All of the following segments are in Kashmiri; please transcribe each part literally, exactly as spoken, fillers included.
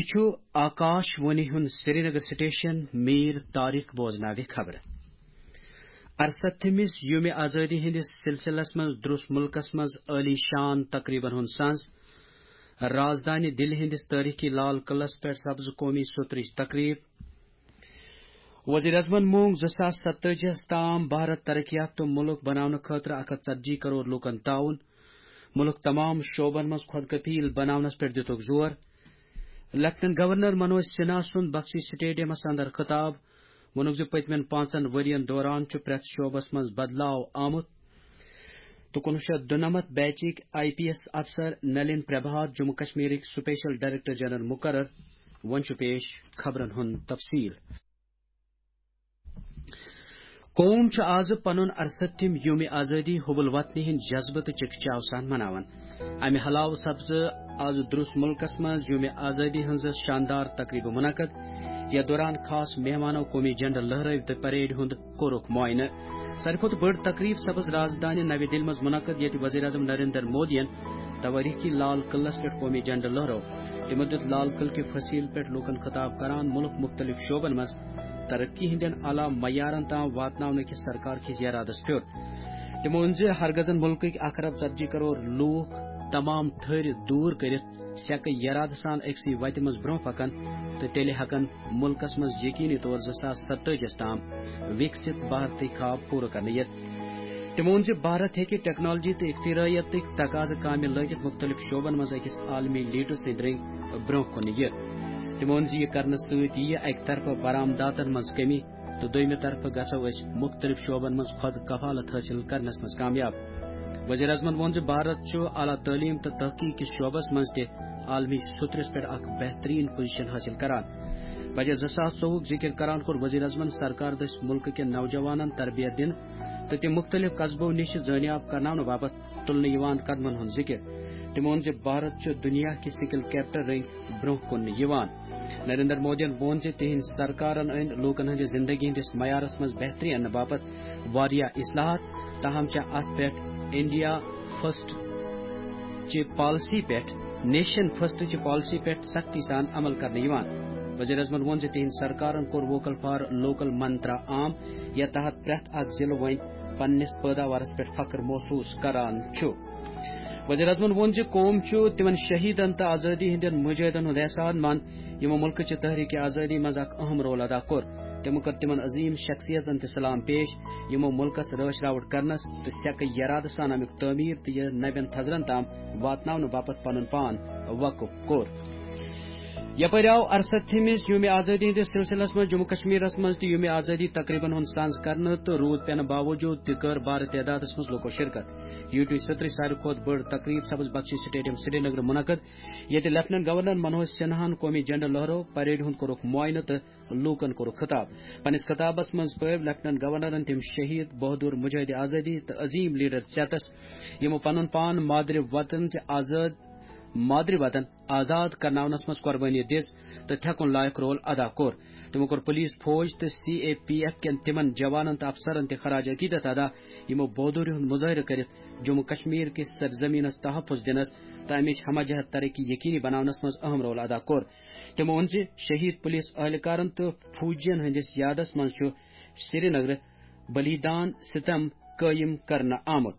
یہِ چھُ آکاش وانی ہُنٛد سرینگر سٹیشن۔ میٖر طارق بوزناوِ خبرٕ۔ ارستھمِس یومِ آزٲدی ہٕنٛدِس سلسلس منٛز درٛوس مُلکس منٛز عٲلی شان تقریبن ہُنٛد سنز۔ رازدانہِ دِلہِ ہٕنٛدِس تٲریخی لال قلعس پٮ۪ٹھ سپز قومی سترٕچ تقریب۔ وزیر اعظمن مونگ زٕ ساس ستٲجی ہس تام بھارت ترقی یافتہٕ مُلک بناونہٕ خٲطرٕ اکھ ہتھ ژتجی کرور لوٗکن تعاوُن۔ مُلک تمام شعبن منٛز خۄد کفیل بناونس پٮ۪ٹھ دِتُکھ زور۔ لیفٹیننٹ گورنر منوج سنہا سُنٛد بخشی سٹیڈیمس اندر خطاب۔ ووٚنُکھ زِ پٔتمٮ۪ن پانٛژن ؤرین دوران چھُ پرٛٮ۪تھ شعبس منٛز بدلاو آمُت۔ تہٕ کُنوُہ شیٚتھ دُنمتھ بیچٕکۍ آئی پی ایس افسر نلین پربھات جموں کشمیرٕکۍ سپیشل ڈائریکٹر جنرل مقرر۔ وۄنۍ چھُ پیش خبرن ہُنٛد تفصیل۔ قوم چھُ آز پنُن ارستھم یوم آزٲدی حب الوطنی ہٕنٛدۍ جذبہٕ تہٕ چکچاو سان مناوان۔ امہِ علاوٕ سپزٕ آز درُس مُلکس منٛز یوم آزٲدی ہٕنٛز شاندار تقریبہٕ منعقد، یتھ دوران خاص مہمانو قومی جھنڈٕ لہرٲوۍ تہٕ پریڈ ہُنٛد کوٚرُکھ معائنہٕ۔ ساروی کھۄتہٕ بٔڑ تقریب سپز رازدانہِ نوِ دِلہِ منٛز منعقد، ییٚتہِ وزیر اعظم نریندر مودیَن توٲریخی لال قلعس پٮ۪ٹھ قومی جھنڈٕ لہرٲو۔ تِمو دیُت لال قلعہٕ کہِ فصیل پٮ۪ٹھ لوٗکن خطاب کران مُلک مُختٔلِف شعبن منٛز ترقی ہٕنٛدٮ۪ن اعلیٰ معیارن تام واتناونہٕ کِس سرکار کِس یرادس پٮ۪ٹھ۔ تِمو ووٚن زِ ہرگزن مُلکٕکۍ اکھ ارب ژتجی کرور لوٗکھ تمام تھٔرۍ دوٗر کٔرِتھ سیٚکہٕ یرادٕ سان أکسٕے وتہِ منٛز برٛونٛہہ پکن تہٕ تیٚلہِ ہٮ۪کن مُلکس منٛز یقینی طور زٕ ساس ستٲجی ہس تام وِکسِت بھارتٕکۍ خواب پوٗرٕ کرنہٕ یِتھ۔ تِمو ووٚن زِ بھارت ہیٚکہِ ٹیکنالوجی تہٕ اختراعیتٕکۍ تقاضہٕ کامہِ لٲگِتھ مُختٔلِف شعبن منٛز أکِس عالمی لیڈر سٕنٛدۍ رٔنٛگۍ برٛونٛہہ کُن یِتھ۔ تِمو ووٚن زِ یہِ کرنہٕ سۭتۍ یِیہِ اکہِ طرفہٕ برآمداتن منٛز کمی تہٕ دوٚیمہِ طرفہٕ گژھو أسۍ مُختٔلِف شعبن منٛز خۄد کفالت حٲصِل کرنس منٛز کامیاب۔ وزیر اعظمن ووٚن زِ بھارت چھُ اعلیٰ تعلیٖم تہٕ تحقیق کِس شعبس منٛز تہِ عالمی سترس پٮ۪ٹھ اکھ بہترین پوزیشن حٲصِل کران۔ بجٹ زٕ ساس ژوٚوُہُک ذِکِر کران کوٚر وزیر اعظمن سرکار دٔسۍ مُلکہٕ کٮ۪ن نوجوانن تربیت دِنہٕ تہٕ تِم مُختٔلِف قصبو نِش زٲنیاب کرناونہٕ باپتھ تُلنہٕ یِوان قدمن ہُنٛد ذِکِر۔ تِمو ووٚن زِ بھارت چھُ دُنیا کہِ سکل کیپٹل رٔنٛگۍ برٛونٛہہ کُن یِوان۔ نریندر مودیَن ووٚن زِ تِہنٛدۍ سرکارن أنۍ لوٗکن ہٕنٛدِ زندگی ہٕنٛدِس معیارس منٛز بہتری اننہٕ باپتھ واریاہ اصلاحات، تاہم چھےٚ اتھ پٮ۪ٹھ انڈیا فرسٹ چہِ پالیسی پٮ۪ٹھ، نیشن فرسٹ چہِ پالیسی پٮ۪ٹھ سختی سان عمل کرنہٕ یِوان۔ وزیر اعظمن ووٚن زِ تِہنٛدِ سرکارن کوٚر ووکل فار لوکل منترا عام، یتھ تحت پرٛٮ۪تھ اکھ ضلعہٕ وۄنۍ پننِس پٲداوارس پٮ۪ٹھ فخر محسوس کران چھُ۔ وزیر اعظمن ووٚن زِ قوم چھُ تِمن شہیدن تہٕ آزٲدی ہٕنٛدٮ۪ن مجاہدن ہُنٛد احسان من، یِمو مُلکہٕ چہِ تحریک آزٲدی منٛز اکھ اہم رول ادا کوٚر۔ تِمو کٔر تِمن عظیم شخصیژن تہِ سلام پیش، یِمو مُلکس رٲچھ راوُٹ کرنس تہٕ سیٚکہٕ یرادٕ سان امیُک تعمیٖر تہٕ یہِ نوٮ۪ن تھزرن تام واتناونہٕ باپتھ پنُن پان وقف کوٚر۔ یپٲرۍ آو ارستھمِس یومِ آزٲدی ہٕنٛدِس سلسلس منٛز جموں کشمیرس منٛز تہِ یومِ آزٲدی تقریبن ہُنٛد سنز کرنہٕ تہٕ روٗد پٮ۪نہٕ باوجوٗد تہِ کٔر بارٕ تعدادس منٛز لوٗکو شرکت۔ یوٹی سترٕچ ساروی کھۄتہٕ بٔڑ تقریب سبز بخشی سٹیڈیم سرینگر منعقد، ییٚتہِ لیفٹیننٹ گورنر منوج سنہاہن قومی جھنڈٕ لہرٲو، پریڈ ہُنٛد کوٚرُکھ معائنہٕ تہٕ لوٗکن کوٚرُکھ خطاب۔ پننِس خطابس منٛز پٲوۍ لیفٹیننٹ گورنرن تِم شہید، بہادر مجاہد آزٲدی تہٕ عظیم لیڈر ژیتس، یِمو پنُن پان مادری وطن چہِ آزاد، مادری وطن آزاد کرناونس منٛز قربٲنی دِژ تہٕ تھٮ۪کُن لایق رول ادا کوٚر۔ تِمو کوٚر پولیس، فوج تہٕ سی اے پی ایف کٮ۪ن تِمن جوانن تہٕ افسرن تہِ خراج عقیدت ادا، یِمو بہادری ہُنٛد مظٲہرٕ کٔرِتھ جموں کشمیر کِس سرزمینس تحفظ دِنس تہٕ امِچ ہمہ جہت ترقی یقینی بناونس منٛز اہم رول ادا کوٚر۔ تِمو ووٚن زِ شہید پولیس اہلکارن تہٕ فوجین ہٕنٛدِس یادس منٛز چھُ سرینگرٕ بلیدان ستم قٲیِم کرنہٕ آمُت۔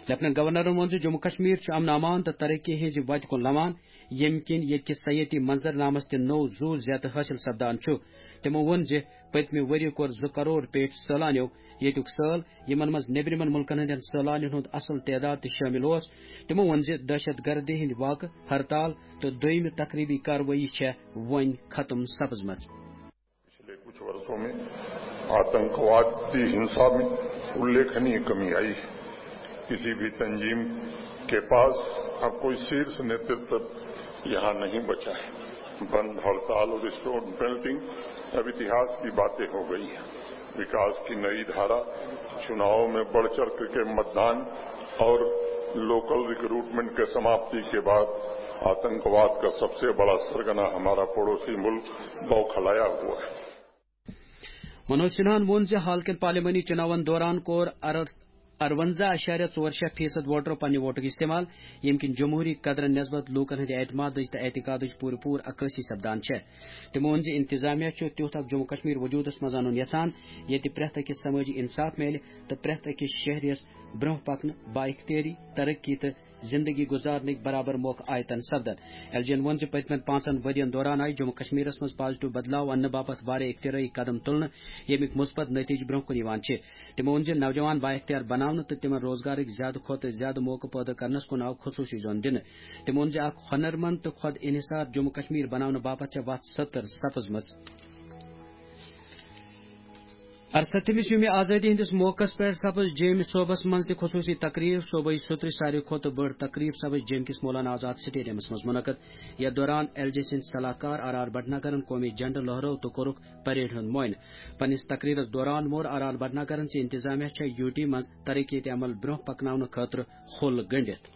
لیفٹیننٹ گورنرن ووٚن زِ جموں کشمیر چھُ امن امان تہٕ ترقی ہٕنٛزِ وتہِ کُن لمان، ییٚمہِ کِنۍ ییٚتہِ کِس سیٲحتی منظرنامس تہِ نوٚو زُو زیتہٕ حٲصِل سپدان چھُ۔ تِمو ووٚن زِ پٔتمہِ ؤرۍ یہِ کوٚر زٕ کرور پیٹھۍ سٲلانیو ییٚتیُک سٲل، یِمن منٛز نیٚبرِمٮ۪ن مُلکن ہٕنٛدٮ۪ن سٲلانٮ۪ن ہُنٛد اصل تعداد تہِ شٲمِل اوس۔ تِمو ووٚن زِ دہشت گردی ہٕنٛدۍ واقعہٕ، ہرتال تہٕ دوٚیمہِ تخریبی کاروٲیی چھےٚ وۄنۍ ختم سپٕزمٕژ۔ पिछले कुछ वर्षों में आतंकवाद की हिंसा में उल्लेखनीय कमी आई है। किसी भी तंजीम के पास अब कोई शीर्ष नेतृत्व यहाँ नहीं बचा है। बंद हड़ताल और स्टोन पेल्टिंग अब इतिहास की बातें हो गई हैं। विकास की नई धारा, चुनावों में बढ़ चढ़ के मतदान और लोकल रिक्रूटमेंट के समाप्ति के बाद आतंकवाद का सबसे बड़ा सरगना हमारा पड़ोसी मुल्क बौखलाया हुआ है। منوج سنہاہن ووٚن زِ حال کٮ۪ن پارلیمانی چُناون دوران کوٚر ارس اَرونٛزاہ اَشاریہ ژور شےٚ فیصد ووٹرو پننہِ ووٹُک استعمال، ییٚمہِ کِنۍ جمہوٗری قدرن نسبت لوٗکن ہٕنٛدِ اعتمادٕچ تہٕ اعتقادٕچ پوٗرٕ پوٗرٕ عکٲسی سپدان چھےٚ۔ تِمو ووٚن زِ انتظامیہ چھُ تیُتھ اکھ جموں کشمیر وجوٗدس منٛز انُن یژھان، ییٚتہِ پرٛٮ۪تھ أکِس سمٲجی انصاف میلہِ تہٕ پرٛٮ۪تھ أکِس شہریَس برٛونٛہہ پکنہٕ، با اختیٲری، ترقی تہٕ زندگی گزارنٕکۍ برابر موقعہٕ آیتن سپدن۔ ایل جی ین ووٚن زِ پٔتمٮ۪ن پانٛژن ؤرین دوران آیہِ جموں کشمیرس منٛز پازیٹیو بدلاو اننہٕ باپتھ واریاہ اختراعی قدم تُلنہٕ، ییٚمِکۍ مثبت نتیجہٕ برٛونٛہہ کُن یِوان چھِ۔ تِمو ووٚن زِ نوجوان بااختیار بناونہٕ تہٕ تِمن روزگارٕکۍ زیادٕ کھۄتہٕ زیادٕ موقعہٕ پٲدٕ کرنس کُن آو خصوٗصی زون دِنہٕ۔ تِمو ووٚن زِ اکھ ہۄنرمند تہٕ خۄد انحصار جموں کشمیر بناونہٕ باپتھ چھےٚ وتھ ستر سپٕزمٕژ۔ اَرسَتھمِس یومِ آزٲدی ہٕنٛدِس موقعس پٮ۪ٹھ سپٕز جیٚمہِ صوبس منٛز تہِ خصوٗصی تقریٖب۔ صوبٲئی سوٚترٕچ ساروی کھۄتہٕ بٔڑ تقریٖب سپٕز جیٚمہِ کِس مولانا آزاد سٹیڈیمس منٛز منعقد۔ یتھ دوران ایل جے سٕنٛدۍ صلاح کار آر آر بھٹناگرن قومی جھنڈٕ لہرٲو تہٕ کوٚرُکھ پریڈ ہُنٛد معائنہٕ۔ پننِس تقریرس دوران ووٚن آر آر بھٹناگرن زِ انتظامیہ چھےٚ یوٗ ٹی منٛز ترقیتی عمل برٛونٛہہ پکناونہٕ خٲطرٕ ہوٚل گٔنٛڈِتھ۔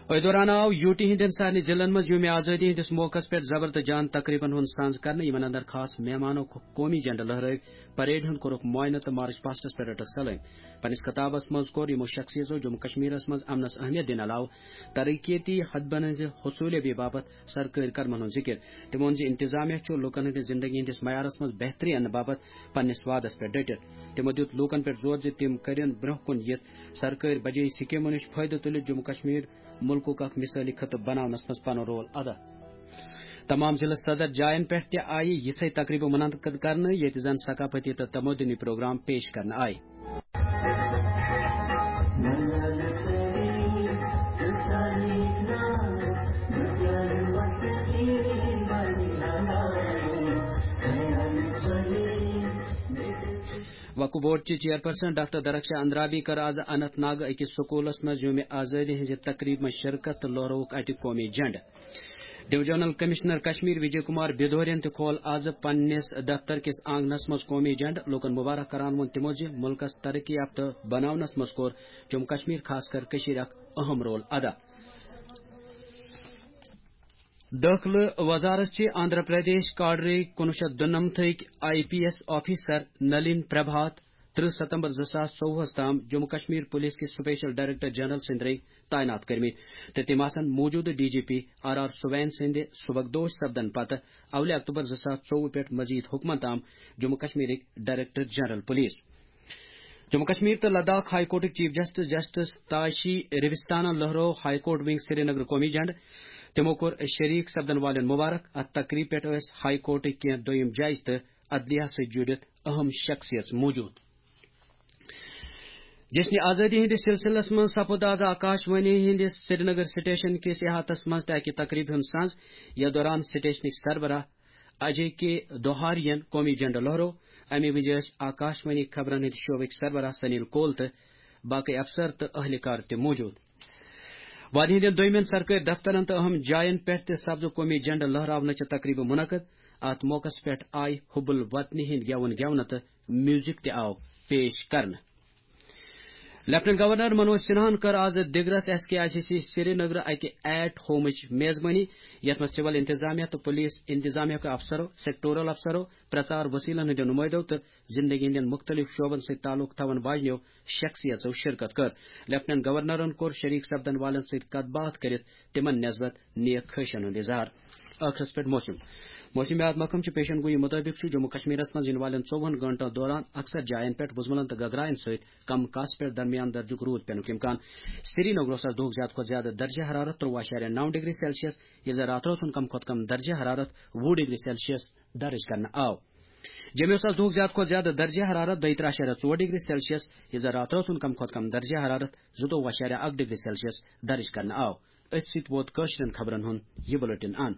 أتھۍ دوران آو یوٗ ٹی ہٕنٛدٮ۪ن سارنٕے ضلعن منٛز یومِ آزٲدی ہٕنٛدِس موقعس پٮ۪ٹھ زبر تہٕ جان تقریبن ہُنٛد سانز کرنہٕ، یِمن اندر خاص مہمانو قومی جھنڈٕ لہرٲوۍ، پریڈ ہُنٛد کوٚرُکھ معائنہٕ تہٕ مارچ پاسٹس پٮ۪ٹھ رٔٹٕکھ سلٲمۍ۔ پننِس خطابس منٛز کوٚر یِمو شخصیژو جموں کشمیرس منٛز امنس اہمیت دِنہٕ علاوٕ ترقیتی ہدبن ہٕنٛزِ حصولیابی باپتھ سرکٲرۍ قدمن ہُنٛد ذِکِر۔ تِمو ووٚن زِ انتظامیہ چھُ لوٗکن ہٕنٛدِ زِندگی ہٕنٛدِس معیارس منٛز بہتری اننہٕ باپتھ پننِس وعدس پٮ۪ٹھ ڈٔٹِتھ۔ تِمو دیُت لوٗکن پٮ۪ٹھ زور زِ تِم کٔرِن برٛونٛہہ کُن یِتھ سرکٲرۍ بجٲیی سکیمو نِش فٲیدٕ تُلِتھ جموں کشمیر مُلکُک اکھ مثٲلی خطہٕ بناونس منٛز پنُن رول ادا۔ تمام ضلعہٕ صدر جاین پٮ۪ٹھ تہِ آیہِ یِژھے تقریبہٕ منعقد کرنہٕ، ییٚتہِ زن ثقافتی تہٕ تمدنی پروگرام پیش کرنہٕ آیہِ۔ وقف بورڈ چہِ چیئرپرسن ڈاکٹر درخشا اندرابی کٔر آز اننت ناگ أکِس سکوٗلس منٛز یومِ آزٲدی ہٕنٛزِ تقریبہِ منٛز شرکت تہٕ لہرٲوُکھ اتہِ قومی جھنڈٕ۔ ڈویژنل کمشنر کشمیر وجے کمار بھدورین تہِ کھول آز پننِس دفتر کِس آنگنس منٛز قومی جھنڈٕ۔ لوٗکن مبارک کران ووٚن تِمو زِ مُلکس ترقی یافتہٕ بناونس منٛز کوٚر جموں کشمیر خاص کر کٔشیٖرِ اکھ اہم رول ادا۔ دٲخلہٕ وزارت چھِ آندھرا پردیش کاڈرٕکۍ کُنوُہ شیٚتھ دُنَمتھٕکۍ I P S officer Nalin Prabhat ترٕہ ستمبر زٕ ساس ژوٚوُہس تام جموں کشمیر پولیس کِس سپیشل ڈائریکٹر جنرل سٕنٛدۍ رٔنگۍ تعینات کٔرمٕتۍ تہٕ تِم آسن موٗجوٗدٕ D G P R R Swain سٕنٛدِ سبکدوش سپدن پتہٕ اولہِ اکتوبر زٕ ساس ژوٚوُہ پٮ۪ٹھ مزید حکمن تام جموں کشمیرٕکۍ director general police. Jammu Kashmir تہٕ لداخ ہائی کورٹٕکۍ چیف جسٹس جسٹس تاشی ریوستانن لہرٲو ہائی کورٹ ونگ سرینگر قومی جھنڈٕ۔ تِمو کوٚر شریک سپدن والٮ۪ن مبارک۔ اتھ تقریبہِ پٮ۪ٹھ ٲسۍ ہائی کورٹٕکۍ کینٛہہ دوٚیِم جج تہٕ عدلیہ سۭتۍ جُڑِتھ اہم شخصیژ موٗجوٗد۔ جشن آزادی ہٕنٛدِس سلسلس منٛز سپُد آز آکاش وانی ہٕنٛدِس سرینگر سٹیشن کِس احاطس منٛز تہِ اکہِ تقریبہِ ہُنٛد سانز۔ یتھ دوران سٹیشنٕکۍ سربراہ اجے کے دوہارین قومی جھنڈٕ لہرو۔ امہِ وِزِ ٲسۍ آکاش وانی خبرن ہٕنٛدۍ شعبٕکۍ سربراہ سنیل کول تہٕ باقٕے افسر تہٕ اہلکار تہِ موٗجوٗد۔ وادی ہٕنٛدٮ۪ن دوٚیمٮ۪ن سرکٲرۍ دفترن تہٕ اہم جاین پٮ۪ٹھ تہِ سپزٕ قومی جھنڈٕ لہراونٕچہِ تقریبہٕ منعقد۔ اتھ موقعس پٮ۪ٹھ آیہِ حب الوطنی ہٕنٛدۍ گٮ۪وُن گٮ۪ونہٕ تہٕ میوزک تہِ آو پیش کرنہٕ۔ لیفٹیننٹ گورنر منوج سنہاہن کٔر آز دِگرس S K I C C Srinagar اکہِ ایٹ ہومٕچ میزبٲنی، یتھ منٛز سول انتظامیہ تہٕ پولیس انتظامیہ کیو افسرو، سیکٹورل افسرو، پرچار وسیلن ہٕنٛدیو نمٲیدو تہٕ زندگی ہٕنٛدٮ۪ن مختلف شعبن سۭتۍ تعلق تھاون واجنیو شخصیژو شرکت کٔر۔ لیفٹیننٹ گورنرن کوٚر شریک سپدن والٮ۪ن سۭتۍ کتھ باتھ کٔرِتھ تِمن نسبت نیک خواہشن ہُنٛد اظہار۔ ٲخرس پٮ۪ٹھ موسم۔ موسمیات محکمہٕ چہِ پیشن گویی مُطٲبِق چھُ جموں کشمیرس منٛز یِنہٕ والٮ۪ن ژوٚوُہن گھنٹن دوران اکثر جاین پٮ۪ٹھ وُزملن تہٕ گگراین سۭتۍ کم کاسہٕ پٮ۪ٹھ درمیان درجُک روٗد پینُک امکان۔ سرینگرس آز دۄہُک زیادٕ کھۄتہٕ زیادٕ درجہ حرارت ترٛوُہ اعشاریہ نَو ڈگری سیلسیس، ییٚلہِ زن راتہٕ رٲژ ہُنٛد کم کھۄتہٕ کم درجہ حرارت وُہ ڈگری سیلسیس درج کرنہٕ آو۔ جوٚمِس آز دۄہُک زیادٕ کھۄتہٕ زیادٕ درجہ حرارت دۄیہِ ترٕٛہ اعشاریہ ژور ڈگری سیلسیس، ییٚلہِ زن راتہٕ رٲژ ہُنٛد کم کھۄتہٕ کم درجہ حرارت زٕتووُہ اعشاریہ اکھ ڈگری سیلسیس درج کرنہٕ آو۔ أتھۍ سۭتۍ ووت کٲشرٮ۪ن خبرن ہُنٛد یہِ بُلٹن اند۔